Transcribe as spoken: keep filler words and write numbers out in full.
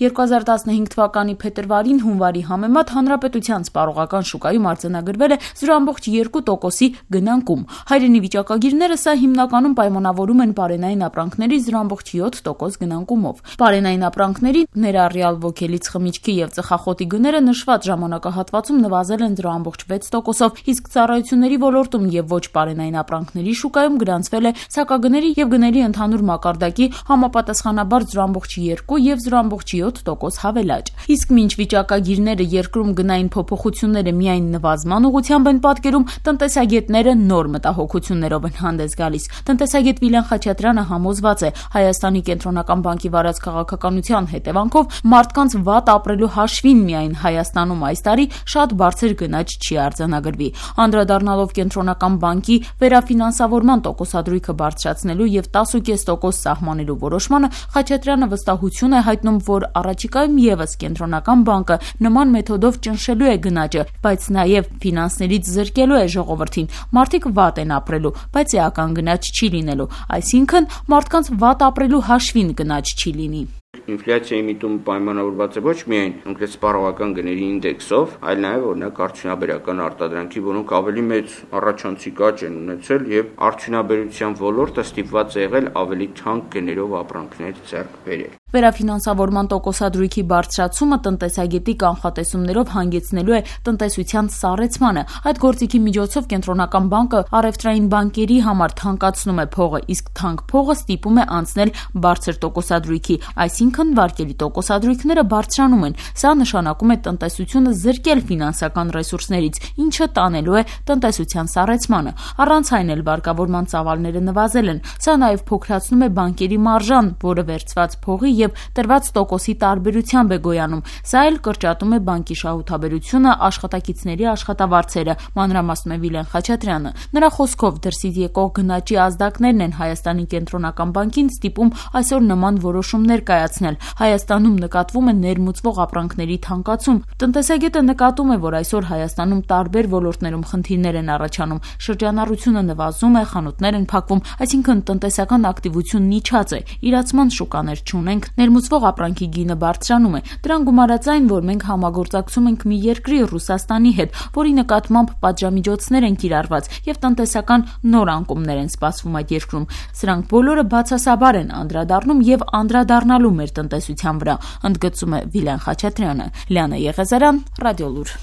երկու հազար տասնհինգ թվականի փետրվարին հունվարի համեմատ հանրապետության սպառողական շուկայում արձանագրվել է զրո ամբողջ երկու տոկոսի գնանկում։ Հայրենի վիճակագիրները սա հիմնականում պայմանավորում են պարենային ապրանքների զրո ամբողջ յոթ տոկոս գնանկումով։ Պարենային ապրանքների, ներառյալ ոգելից խմիչքի եւ ծխախոտի գները նշված ժամանակահատվածում նվազել են զրո ամբողջ վեց տոկոսով, իսկ ծառայությունների ոլորտում եւ ոչ պարենային ապրանքների շուկայում գրանցվել է սակագների եւ գների ընդհանուր մակարդակի համապատասխանաբար զրո ամբողջ երկու եւ զրո ամբողջ յոթ տոկոս հավելաճ։ Իսկ մինչ վիճակագիրները երկրում գնային փոփոխությունները միայն նվազման ուղղությամբ են պատկերում, տնտեսագետները նոր մտահոգություններով են հանդես գալիս։ Տնտեսագետ Վիլեն Խաչատրյանը համոզված է, Հայաստանի կենտրոնական բանկի վարած քաղաքականության հետևանքով մարդկանց վատ ապրելու հաշվին միայն Հայաստանում այս տարի շատ բարձր գնաճ չի արձանագրվի։ Անդրադառնալով կենտրոնական բանկի վերաֆինանսավորման տոկոսադրույքը բարձրացնելու եւ տասը կես տոկոս սահմանելու որոշմանը, Խաչատրյանը վստահություն է հայտնում, որ առաջիկայում եւս կենտրոնական բանկը նման մեթոդով ճնշելու է գնաճը, բայց նաեւ ֆինանսներից զրկելու է ժողովրդին։ Մարդիկ վատ են ապրելու, բայց էական գնաճ չի լինելու, այսինքն մարդկանց վատ ապրելու հաշվին գնաճ չի լինի։ Ինֆլյացիայի միտումը պայմանավորված է ոչ միայն կոնկրետ սպառողական գների ինդեքսով, այլ նաև օրինակ արդյունաբերական արտադրանքի, որոնք ավելի մեծ առաջանցիկ աճ են ունեցել եւ արդյունաբերության ոլորտը ստիպված է եղել ավելի թանկ գներով ապրանքներ ձեռք բերել։ Վերաֆինանսավորման տոկոսադրույքի բարձրացումը տնտեսագետի կանխատեսումներով հանգեցնելու է տնտեսության սառեցմանը։ Այդ գործիքի միջոցով կենտրոնական բանկը առևտրային բանկերի համար թանկացնում է փողը, իսկ թանկ փողը ստիպում է անցնել բարձր տոկոսադրույքի, այսինքն վարկելի տոկոսադրույքները բարձրանում են։ Սա նշանակում է տնտեսությունը զրկել ֆինանսական ռեսուրսներից, ինչը տանելու է տնտեսության սառեցմանը։ Առանց այն էլ վարկավորման ծավալները նվազել են։ Սա նաև փոքրացնում է բանկերի մարժան, որը վերցված փողի եւ տրված տոկոսի տարբերությամբ է գոյանում։ Սա էլ կրճատում է բանկի շահութաբերությունը, աշխատակիցների աշխատավարձերը, մանրամասնում է Վիլեն Խաչատրյանը։ Նրա խոսքով դրսից եկող գնաճի ազդակներն են Հայաստանի կենտրոնական բանկին ստիպում այսօր նման որոշումներ կայացնել։ Հայաստանում նկատվում է ներմուծվող ապրանքների թանկացում։ Տնտեսագետը նկատում է, որ այսօր Հայաստանում տարբեր ոլորտներում խնդիրներ են առաջանում, շրջանառությունը նվազում է, խանութներ են փակվում, այսինքն տնտեսական ակտիվությունն իջած է, իրացման շուկաներ չունենք, ներմուծվող ապրանքի գինը բարձրանում է։ Դրան գումարած այն, որ մենք համագործակցում ենք մի երկրի Ռուսաստանի հետ, որի նկատմամբ պատժամիջոցներ են կիրառված եւ տնտեսական նոր անկումներ են սպասվում այդ երկրում։ Սրանք բոլորը բացասաբար են անդրադառնում եւ անդրադառնալու մեր տնտեսության վրա, ընդգծում է Վիլեն Խաչատրյանը։ Լիանա Եղեզարյան, Ռադիոլուր։